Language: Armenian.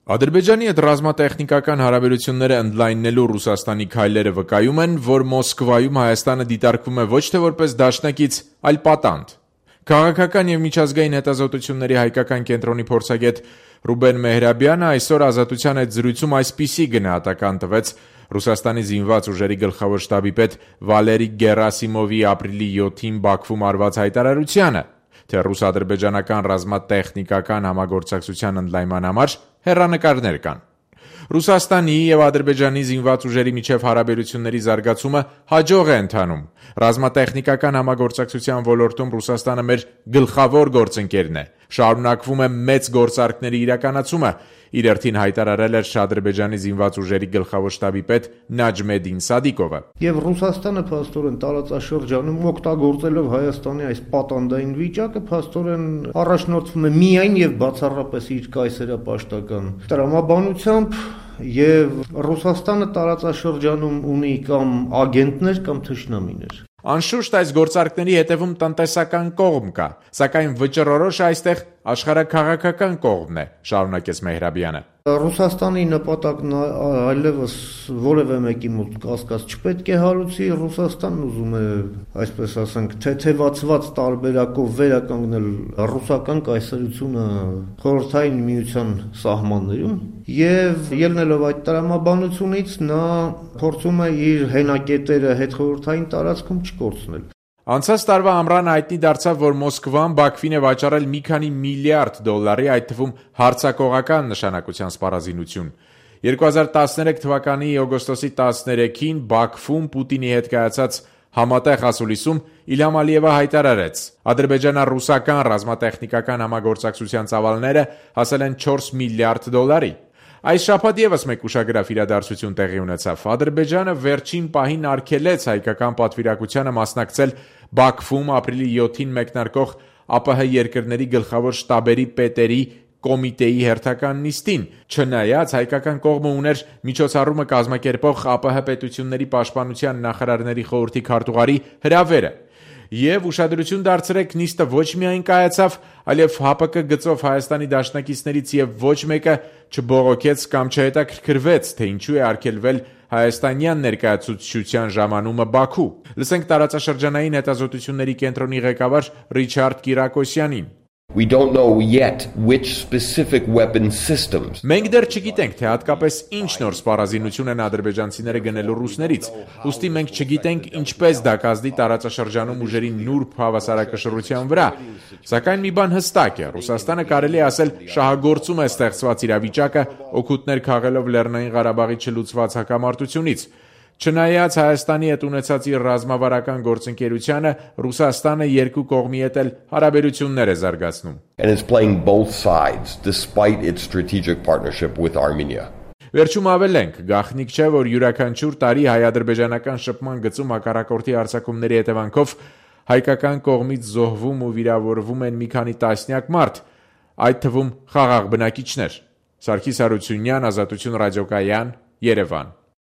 Ադրբեջանի հետ ռազմատեխնիկական հարաբերությունները ընդլայնելու Ռուսաստանի քայլերը վկայում են, որ Մոսկվայում Հայաստանը դիտարկվում է ոչ թե որպես դաշնակից, այլ պատանդ։ Քաղաքական և միջազգային հետազոտությունների հայկական կենտրոնի փորձագետ Ռուբեն Մեհրաբյանը այսօր Ազատության հետ զրույցում այսպիսի գնահատական տվեց Ռուսաստանի զինված ուժերի գլխավոր շտաբի պետ Վալերի Գերասիմովի ապրիլի 7-ին Բաքվում արված հայտարարությանը, թե ռուս-ադրբեջանական ռազմատեխնիկական համագործակցության ընդլայնման համար հեռանկարներ կան։ Ռուսաստանի և Ադրբեջանի զինված ուժերի միջև հարաբերությունների զարգացումը հաջող է ընթանում։ Ռազմատեխնիկական համագործակցության ոլորտում Ռուսաստանը մեր գլխավոր գործընկերն է։ Շարունակվում է մեծ գործարքների իրականացումը, իր հերթին հայտարարել էր Ադրբեջանի զինված ուժերի գլխավոր շտաբի պետ Նաջմեդին Սադիկովը։ Եվ Ռուսաստանը փաստորեն տարածաշրջանում օգտագործելով Հայաստանի այս պատանդային վիճակը փաստորեն առաջնորդվում է միայն եւ բացառապես իր կայսերապաշտական տրամաբանությամբ, եւ Ռուսաստանը տարածաշրջանում ունի կամ ագենտներ կամ թշնամիներ։ Անշուշտ այս գործարքների հետևում տնտեսական կողմ կա, սակայն վճռորոշ այստեղ աշխարհաքաղաքական կողմն է, շարունակեց Մեհրաբյանը։ Ռուսաստանի նպատակն այլևս որևէ մեկի մոտ կասկած չպետք է հարուցի, Ռուսաստանն ուզում է, այսպես ասենք, թեթևացված տարբերակով վերականգնել ռուսական կայսրությունը խորհրդային միության սահմաններում եւ ելնելով այդ տրամաբանությունից նա փորձում է իր հենակետերը հետխորհրդային տարածքում չկորցնել։ Անցած տարվա ամռանը հայտնի դարձավ, որ Մոսկվան Բաքվին է վաճառել մի քանի միլիարդ դոլարի, այդ թվում հարձակողական նշանակության սպառազինություն։ 2013 թվականի օգոստոսի 13-ին Բաքվում Պուտինի հետ կայացած համատեղ ասուլիսում Իլհամ Ալիևը հայտարարեց. ադրբեջանա-ռուսական ռազմատեխնիկական համագործակցության ծավալները հասել են 4 միլիարդ դոլարի։ Այս շաբաթ ևս մեկ ուշագրավ իրադարձություն տեղի ունեցավ։ Ադրբեջանը վերջին պահին արգելեց հայկական պատվիրակությանը մասնակցել Բաքվում ապրիլի 7-ին մեկնարկող ԱՊՀ երկրների գլխավոր շտաբերի պետերի կոմիտեի հերթական նիստին, չնայած հայկական կողմը ուներ միջոցառումը կազմակերպող ԱՊՀ պետությունների պաշտպանության նախարարների խորհրդի քարտուղարի հրավերը։ Եվ ուշադրություն դարձրեք, նիստը ոչ միայն կայացավ, այլև ՀԱՊԿ գծով Հայաստանի դաշնակիցներից եւ ոչ մեկը չբողոքեց կամ չհետաքրքրվեց, թե ինչու է արգելվել հայաստանյան ներկայացուցչության ժամանումը Բաքու։ Լսենք տարածաշրջանային հետազոտությունների կենտրոնի ղեկավար Ռիչարդ Կիրակոսյանին։ We don't know yet which specific weapon systems. Մենք դեռ չգիտենք, թե հատկապես ինչ նոր սպառազինություն են ադրբեջանցիները գնելու ռուսներից։ Ուստի մենք չգիտենք ինչպես դա կազդի տարածաշրջանում ուժերի նուրբ հավասարակշռության վրա։ Սակայն մի բան հստակ է, Ռուսաստանը կարելի է ասել շահագործում է ստեղծված իրավիճակը, օգուտներ քաղելով Լեռնային Ղարաբաղի չլուծված հակամարտությունից։ Չնայած Հայաստանի հետ ունեցած իր ռազմավարական գործընկերությանը, Ռուսաստանը երկու կողմի հետ էլ հարաբերություններ է զարգացնում։ And it's playing both sides despite its strategic partnership with Armenia. Վերջում ավելենք, գաղտնիք չէ, որ յուրաքանչյուր տարի հայ-ադրբեջանական շփման գծում հակառակորդի հարձակումների հետևանքով հայկական կողմից զոհվում ու վիրավորվում են մի քանի տասնյակ մարդ, այդ թվում խաղաղ բնակիչներ։ Սարգիս Հարությունյան, Ազատություն ռադիոկայան, Երևան։